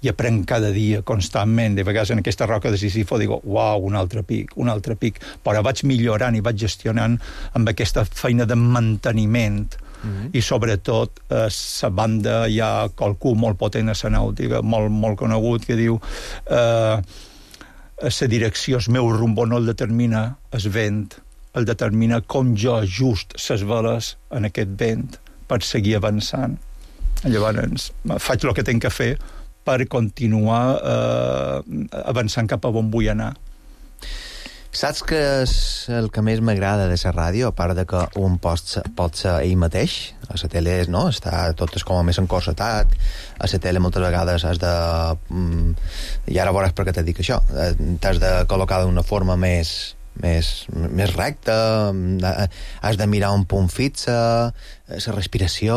Speaker 6: I aprenc cada dia, constantment. De vegades en aquesta roca de Sisifo digo, uau, un altre pic, un altre pic. Però vaig millorant i vaig gestionant amb aquesta feina de manteniment. Mm-hmm. I sobretot a la banda hi ha qualcú molt potent a la nàutica, molt, molt conegut, que diu eh, la direcció, el meu rumbo no el determina el vent, el determina com jo ajust les veles en aquest vent per seguir avançant. Llavors faig el que tinc que fer per continuar eh, avançant cap a on vull anar.
Speaker 5: Saps que és el que més m'agrada de la ràdio, a part de que un pot ser, pot ser ell mateix, a la tele no, està tot és com a més encorsetat, a la tele moltes vegades has de... Mm, i ara veuràs per què t'he dit això, t'has de col·locar d'una forma més, més, més recta, has de mirar un punt fixe, la respiració,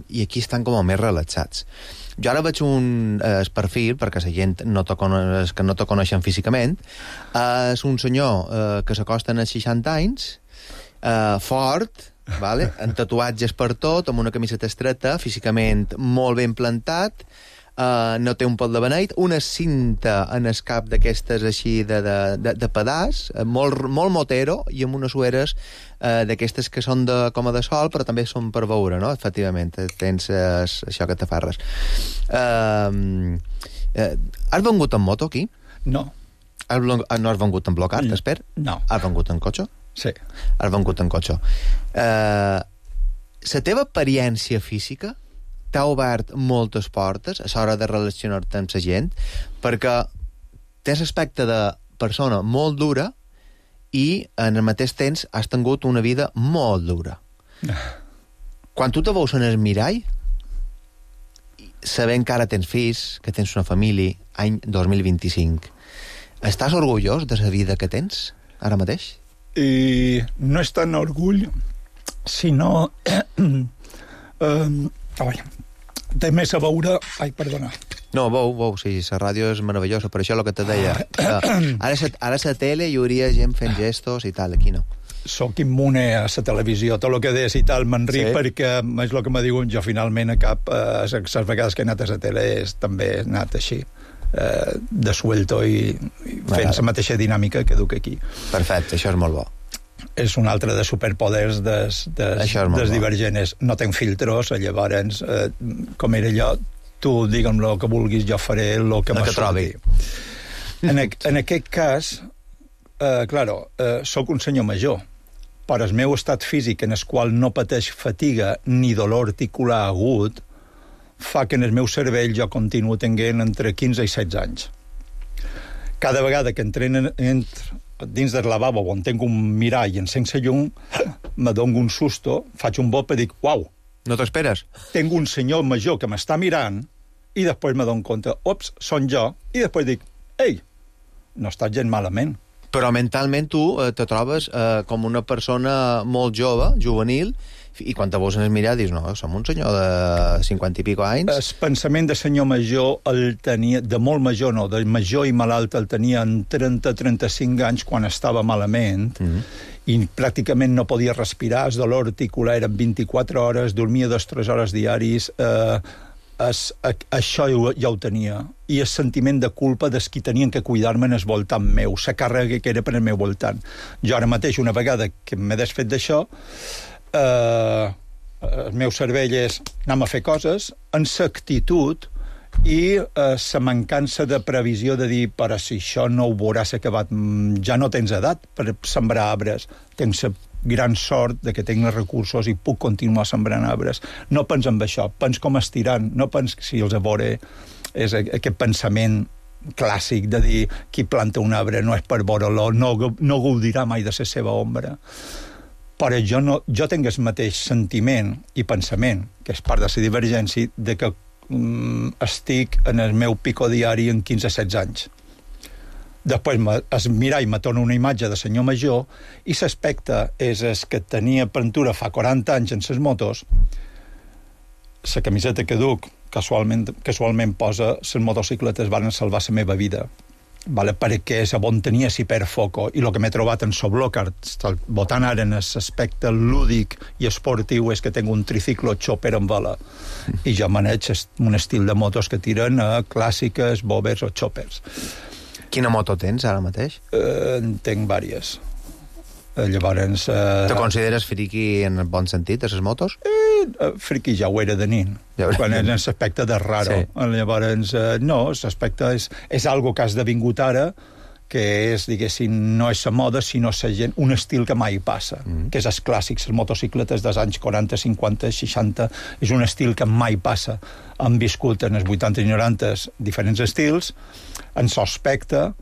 Speaker 5: i aquí estan com a més relaxats. Jo ara veig un eh, perfil, perquè la gent no te coneix, que no te coneixen físicament, eh, és un senyor eh, que s'acosta als seixanta anys, eh, fort, vale? Amb tatuatges per tot, amb una camiseta estreta, físicament molt ben plantat, eh, no té un pot de beneit, una cinta en el cap d'aquestes així de, de, de, de pedaç, molt, molt motero, i amb unes sueres eh, d'aquestes que són de, com a de sol, però també són per veure, no? Efectivament, tens eh, això que t'afarres. Eh, eh, has vengut en moto aquí?
Speaker 6: No.
Speaker 5: Has, no has vengut en blocat, no. Espera?
Speaker 6: No.
Speaker 5: Has vengut en cotxe?
Speaker 6: Sí.
Speaker 5: Has vengut en cotxe. Eh, la teva experiència física t'ha obert moltes portes a l'hora de relacionar-te amb la gent, perquè tens aspecte de persona molt dura i en el mateix temps has tingut una vida molt dura. Quan tu te veus en el mirall, sabent que ara tens fills, que tens una família, any dos mil vint-i-cinc, estàs orgullós de la vida que tens ara mateix?
Speaker 6: I no és tant orgull, sinó... um, Ai, té més a veure... Ai, perdona.
Speaker 5: No, veu, veu, sí, la ràdio és meravellosa, per això el que te deia. Ara a la tele hi hauria gent fent gestos i tal, aquí no.
Speaker 6: Soc immune a la televisió, tot el que deies i tal, m'enric, sí? Perquè és el que me diuen, jo finalment a cap, eh, les vegades que he anat a la tele és, també he anat així, eh, de suelto i, i fent la mateixa dinàmica que duc aquí.
Speaker 5: Perfecte, això és molt bo.
Speaker 6: És un altre de superpoders des, des, des divergents. No tenc filtros, llavors, eh, com era allò, tu digue'm el que vulguis, jo faré el que me surti. En, en aquest cas, eh, claro, eh, soc un senyor major, però el meu estat físic, en el qual no pateix fatiga ni dolor articular agut, fa que en el meu cervell jo continuo tenint entre quinze i setze anys. Cada vegada que entrenen entre dins del lavabo on tinc un mirall i encenc la llum, me dono un susto, faig un bop i dic, uau.
Speaker 5: No t'esperes?
Speaker 6: Tinc un senyor major que m'està mirant i després me dono compte, ops, són jo, i després dic, ei, no estàs gent malament.
Speaker 5: Però mentalment tu eh, te trobes eh, com una persona molt jove, juvenil, I quan te vols anar a mirar, dius, no, som un senyor de cinquanta i pico anys.
Speaker 6: El pensament de senyor major el tenia, de molt major no, de major i malalt el tenia en trenta a trenta-cinc anys quan estava malament, mm-hmm. i pràcticament no podia respirar, el dolor articular eren vint-i-quatre hores, dormia dos o tres hores diaris, eh, es, a, això ja ho tenia. I el sentiment de culpa des qui tenien que cuidar-me en el voltant meu, la càrrega que era per al meu voltant. Jo ara mateix, una vegada que m'he desfet d'això, eh, el meu cervell és anem a fer coses, en l'actitud i la eh, mancança de previsió de dir, però si això no ho veuràs acabat, ja no tens edat per sembrar arbres, tens la gran sort de que tinc els recursos i puc continuar sembrant arbres. No pens en això, pens com estirant, no pens si els a veure és aquest pensament clàssic de dir qui planta un arbre no és per veure-lo, no, no gaudirà mai de la seva ombra. Però jo, no, jo tinc el mateix sentiment i pensament, que és part de la divergència, de que mm, estic en el meu pico diari en quinze a setze anys. Després es mirall me torna una imatge de senyor major i l'aspecte és el que tenia pintura fa quaranta anys en les motos, la camiseta que duc casualment, casualment posa les motocicletes van salvar la meva vida. Vale, perquè és on tenia si per foco i el que m'he trobat en Soblocar votant ara en l'aspecte lúdic i esportiu és que tinc un triciclo chopper en vela i jo maneig un estil de motos que tiren a clàssiques, bobers o choppers.
Speaker 5: Quina moto tens ara mateix?
Speaker 6: Eh, en tinc vàries. Eh, llavors... Eh,
Speaker 5: Te consideres friqui en el bon sentit, de les motos?
Speaker 6: Eh, friqui ja ho era de nin, ja quan és l'aspecte de raro. Sí. Llavors, eh, no, l'aspecte és, és algo que has devingut ara, que és, diguéssim, no és la moda, sinó la gent, un estil que mai passa, mm. que és els clàssics, les motocicletes dels anys quaranta, cinquanta, seixanta, és un estil que mai passa. Han viscut en els vuitanta i noranta diferents estils, en l'aspecte,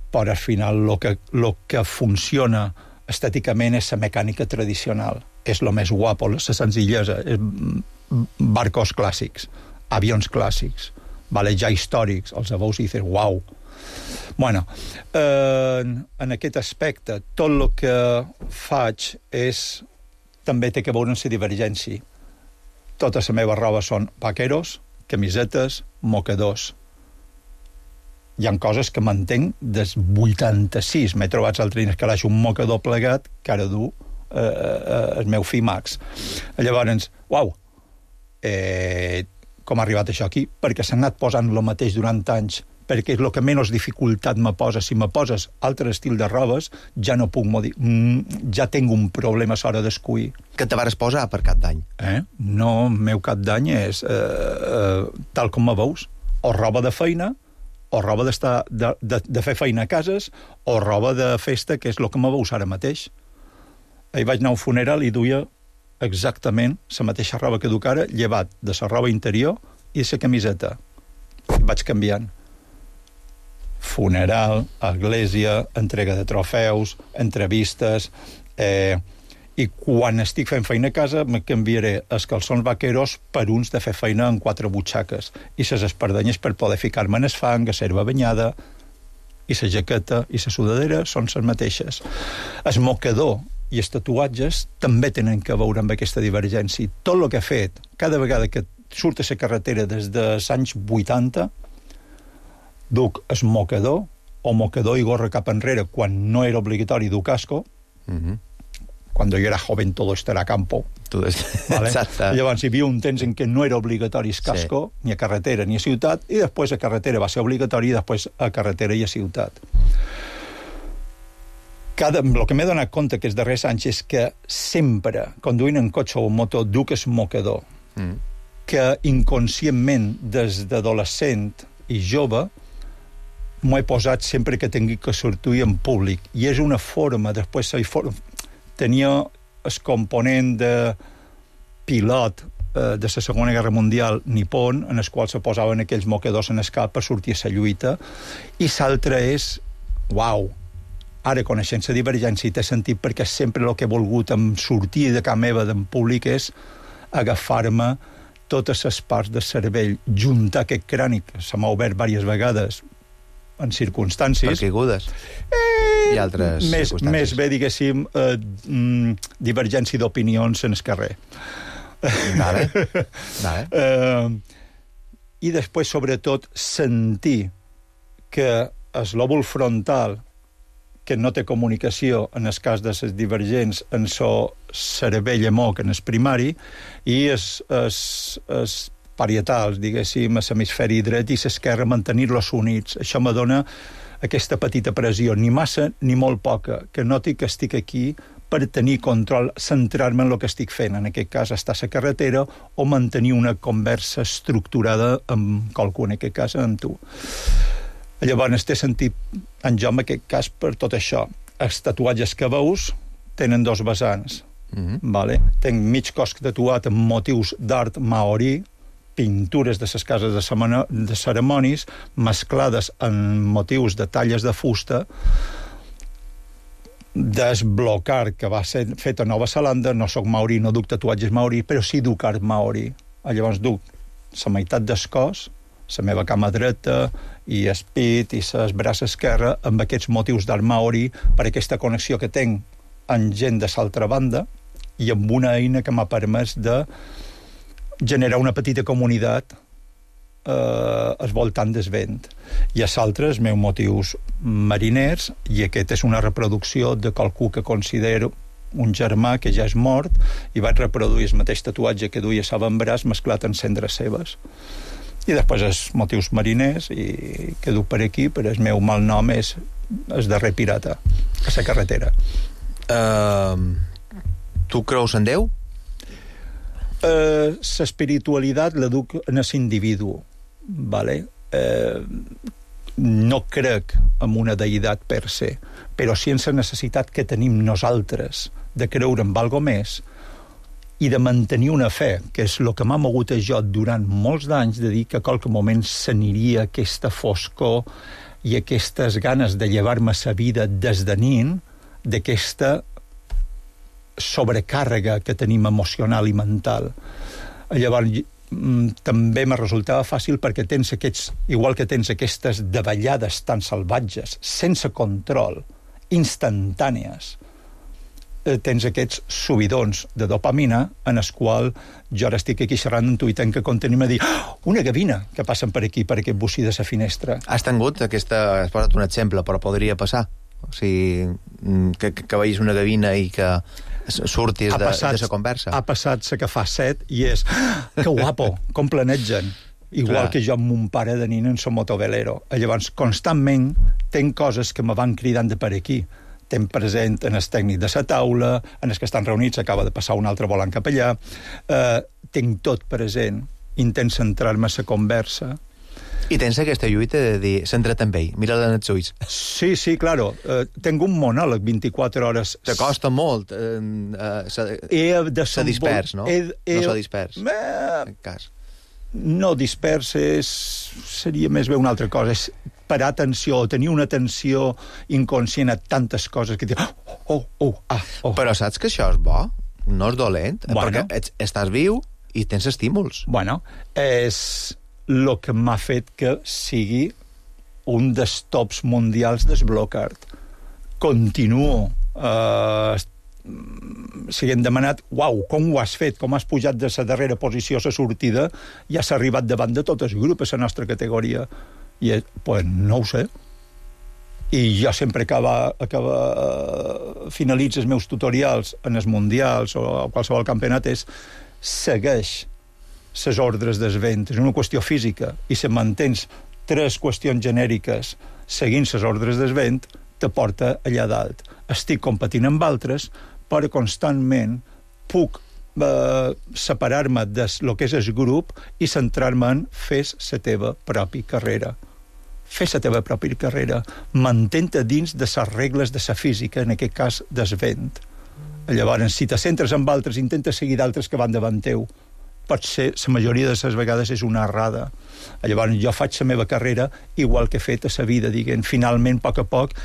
Speaker 6: però al final el que, lo que funciona estèticament és la mecànica tradicional. És el més guapo, la senzillesa. Barcos clàssics, avions clàssics, vale, ja històrics, els veus i dius, uau. Bueno, eh, en aquest aspecte, tot el que faig és, també té que veure amb la divergència. Tota la meva roba són vaqueros, camisetes, mocadors. Hi ha coses que mantenc des vuitanta-sis. M'he trobat l'altre dia que l'haig un mocador plegat que ara du eh, eh, el meu fill Max. Llavors, uau, eh, com ha arribat això aquí? Perquè s'ha anat posant el mateix durant anys, perquè és el que menys dificultat me posa. Si me poses altre estil de robes, ja no puc modi... ja tinc un problema a l'hora d'escollir.
Speaker 5: Què te vares posar per cap d'any?
Speaker 6: Eh? No, el meu cap d'any és eh, eh, tal com me veus, o roba de feina, o roba d'estar, de, de, de fer feina a cases, o roba de festa, que és el que me veus ara mateix. Ahir vaig anar a un funeral i duia exactament la mateixa roba que duc ara, llevat de la roba interior i la camiseta. Vaig canviant. Funeral, església, entrega de trofeus, entrevistes... Eh, I quan estic fent feina a casa me canviaré els calçons vaqueros per uns de fer feina en quatre butxaques i les espardenyes per poder ficar-me en el fang, a serva banyada, i la jaqueta i la sudadera són les mateixes. El mocador i els tatuatges també tenen que veure amb aquesta divergència. Tot el que he fet, cada vegada que surt a la carretera des dels anys vuitanta, duc el mocador o mocador i gorra cap enrere quan no era obligatori dur casco. Mhm. Cuando yo era joven todo esto era campo.
Speaker 5: Todo esto.
Speaker 6: ¿Vale? Llavors hi havia un temps en què no era obligatori el casco, sí. ni a carretera ni a ciutat, i després a carretera va ser obligatori i després a carretera i a ciutat. Cada, el que m'he donat compte aquests darrers anys és que sempre, conduint en cotxe o en moto, duc el mocador, mm. que inconscientment, des d'adolescent i jove, m'ho he posat sempre que tingui que sortir en públic. I és una forma, després tenia el component de pilot eh, de la Segona Guerra Mundial nipon, en el qual se posaven aquells mocadors en el cap per sortir a la lluita, i l'altre és, uau, ara coneixent la divergència i té sentit perquè sempre el que he volgut en sortir de casa meva en públic és agafar-me totes les parts del cervell, juntar aquest crani, que se m'ha obert diverses vegades en circumstàncies...
Speaker 5: Per caigudes.
Speaker 6: Eh,
Speaker 5: i altres
Speaker 6: més,
Speaker 5: circumstàncies.
Speaker 6: Més bé, diguéssim, eh, divergència d'opinions en el carrer.
Speaker 5: Vale. Vale.
Speaker 6: Eh, I després, sobretot, sentir que el lòbul frontal, que no té comunicació en el cas de les divergents en so cervell moc en el primari, i els, els, els parietals, diguéssim, a l'hemisferi dret i l'esquerra, mantenir-los units. Això me dona aquesta petita pressió, ni massa ni molt poca, que noti que estic aquí per tenir control, centrar-me en el que estic fent, en aquest cas estar a la carretera o mantenir una conversa estructurada amb qualcú, en aquest cas amb tu. Llavors, té sentit en jo, en aquest cas, per tot això. Els tatuatges que veus tenen dos vessants. Mm-hmm. Vale? Tenc mig cos tatuat amb motius d'art maori, pintures de les cases de, semana, de ceremonis, mesclades amb motius de talles de fusta, desblocar, que va ser fet a Nova Zelanda. No soc maori, no duc tatuatges maori, però sí duc art maori. Llavors duc la meitat del cos, la meva cama dreta i el pit i el braç esquerre amb aquests motius d'art maori, per aquesta connexió que tinc amb gent de l'altra banda i amb una eina que m'ha permès de generar una petita comunitat eh, al voltant del vent. I els altres, els meus motius mariners, i aquest és una reproducció de qualcú que considero un germà que ja és mort, i vaig reproduir el mateix tatuatge que duia a l'avantbraç mesclat en cendres seves. I després els motius mariners, i que duc per aquí, però el meu mal nom és el darrer pirata, a la carretera.
Speaker 5: Uh, tu creus en Déu?
Speaker 6: L'espiritualitat uh, la duc en l'individu, vale? Uh, no crec en una deïtat per se, però sí en la necessitat que tenim nosaltres de creure en algo més i de mantenir una fe, que és el que m'ha mogut a jo durant molts d'anys, de dir que a qualque moment s'aniria aquesta foscor i aquestes ganes de llevar-me la vida desdenint d'aquesta sobrecàrrega que tenim emocional i mental. Llavors, també me resultava fàcil perquè tens aquests, igual que tens aquestes davallades tan salvatges, sense control, instantànies, tens aquests subidons de dopamina en els quals jo ara estic aquí xerrant amb tu i tenc que contenir-me a dir oh, una gavina que passen per aquí, per aquest bocí de la finestra.
Speaker 5: Has tingut aquesta... Has posat un exemple, però podria passar. O sigui, que, que, que veïs una gavina i que surtis de, de la conversa.
Speaker 6: Ha passat la que fa set i és que guapo, com planegen. Igual Clar. Que jo amb mon pare de nina en som motovelero. Llavors, constantment tenc coses que me van cridant de per aquí. Tenc present en el tècnic de la taula, en els que estan reunits, acaba de passar un altre volant cap allà. Eh, tenc tot present, intent centrar-me a la conversa.
Speaker 5: I tens aquesta lluita de dir, centra't en ell, mira-la en els ulls.
Speaker 6: Sí, sí, claro. Eh, tenc un monòleg vint-i-quatre hores.
Speaker 5: Te costa molt. Eh, eh, se, se dispers, no?
Speaker 6: He, he,
Speaker 5: no se dispers.
Speaker 6: Eh,
Speaker 5: en cas.
Speaker 6: No dispers és, seria més bé una altra cosa. És parar atenció, o tenir una atenció inconscient a tantes coses que dius, oh, oh, oh, ah, oh.
Speaker 5: Però saps que això és bo? No és dolent?
Speaker 6: Bueno.
Speaker 5: Perquè ets, estàs viu i tens estímuls.
Speaker 6: Bueno, és el que m'ha fet que sigui un dels tops mundials desblocat. Continuo eh, siguem demanat, uau, com ho has fet, com has pujat de la darrera posició a la sortida, ja s'ha arribat davant de tot el grup a la nostra categoria. I, pues, no ho sé. I jo sempre acaba, acaba, finalitzo els meus tutorials en els mundials o a qualsevol campionat és segueix les ordres del vent. És una qüestió física. I si mantens tres qüestions genèriques seguint les ordres del vent, te porta allà dalt. Estic competint amb altres, però constantment puc eh, separar-me del que és el grup i centrar-me en fes la teva pròpia carrera. Fes la teva pròpia carrera. Mantén-te dins de les regles de la física, en aquest cas del vent. Llavors, si te centres en altres, intenta seguir d'altres que van davant teu. Pot ser, la majoria de les vegades és una errada. Llavors, jo faig la meva carrera igual que he fet a la vida, diguem, finalment, a poc a poc,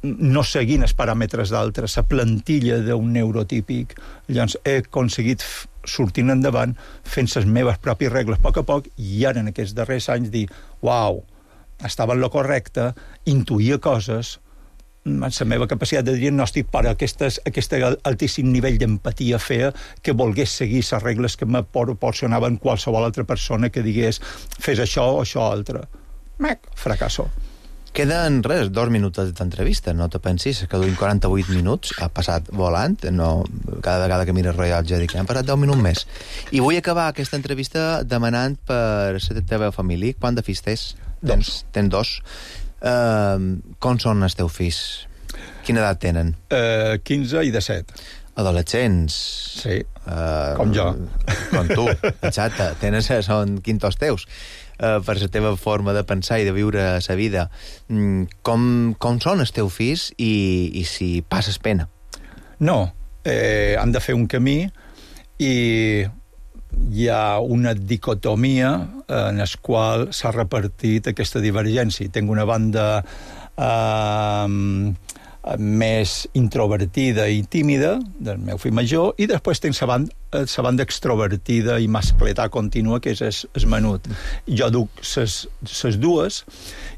Speaker 6: no seguint els paràmetres d'altres, la plantilla d'un neurotípic. Llavors, he aconseguit sortint endavant, fent les meves pròpies regles a poc a poc, i ara, en aquests darrers anys, dir, uau, estava en lo correcte, intuïa coses, la meva capacitat de diagnòstic per aquestes, aquest altíssim nivell d'empatia feia que volgués seguir les regles que me proporcionaven qualsevol altra persona que digués fes això o això altre. Mac, fracasso.
Speaker 5: Queden, res, dos minuts d'entrevista, no te pensis que duim quaranta-vuit minuts, ha passat volant, no, cada vegada que mires rellotge dic, han passat deu minuts més. I vull acabar aquesta entrevista demanant per la teva família, quant de fills tens? Tens, tens dos. Uh, com són els teus fills? Quina edat tenen?
Speaker 6: Uh, quinze i disset.
Speaker 5: Adolescents.
Speaker 6: Sí, uh, com jo.
Speaker 5: Com tu, exacte. Tenen, són quintos teus. Uh, per la teva forma de pensar i de viure la vida. Mm, com, com són els teus fills i, i si passes pena?
Speaker 6: No, eh, han de fer un camí i hi ha una dicotomia en la qual s'ha repartit aquesta divergència. Tinc una banda eh, més introvertida i tímida del meu fill major i després tinc la banda, la banda extrovertida i mascletà contínua que és el, el menut. Jo duc les dues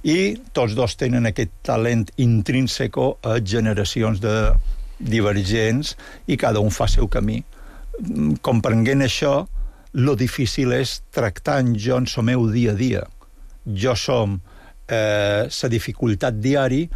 Speaker 6: i tots dos tenen aquest talent intrínseco a generacions de divergents i cada un fa el seu camí. Comprenent això, lo difícil és tractar en jo en el meu dia a dia. Jo som eh, la dificultat diària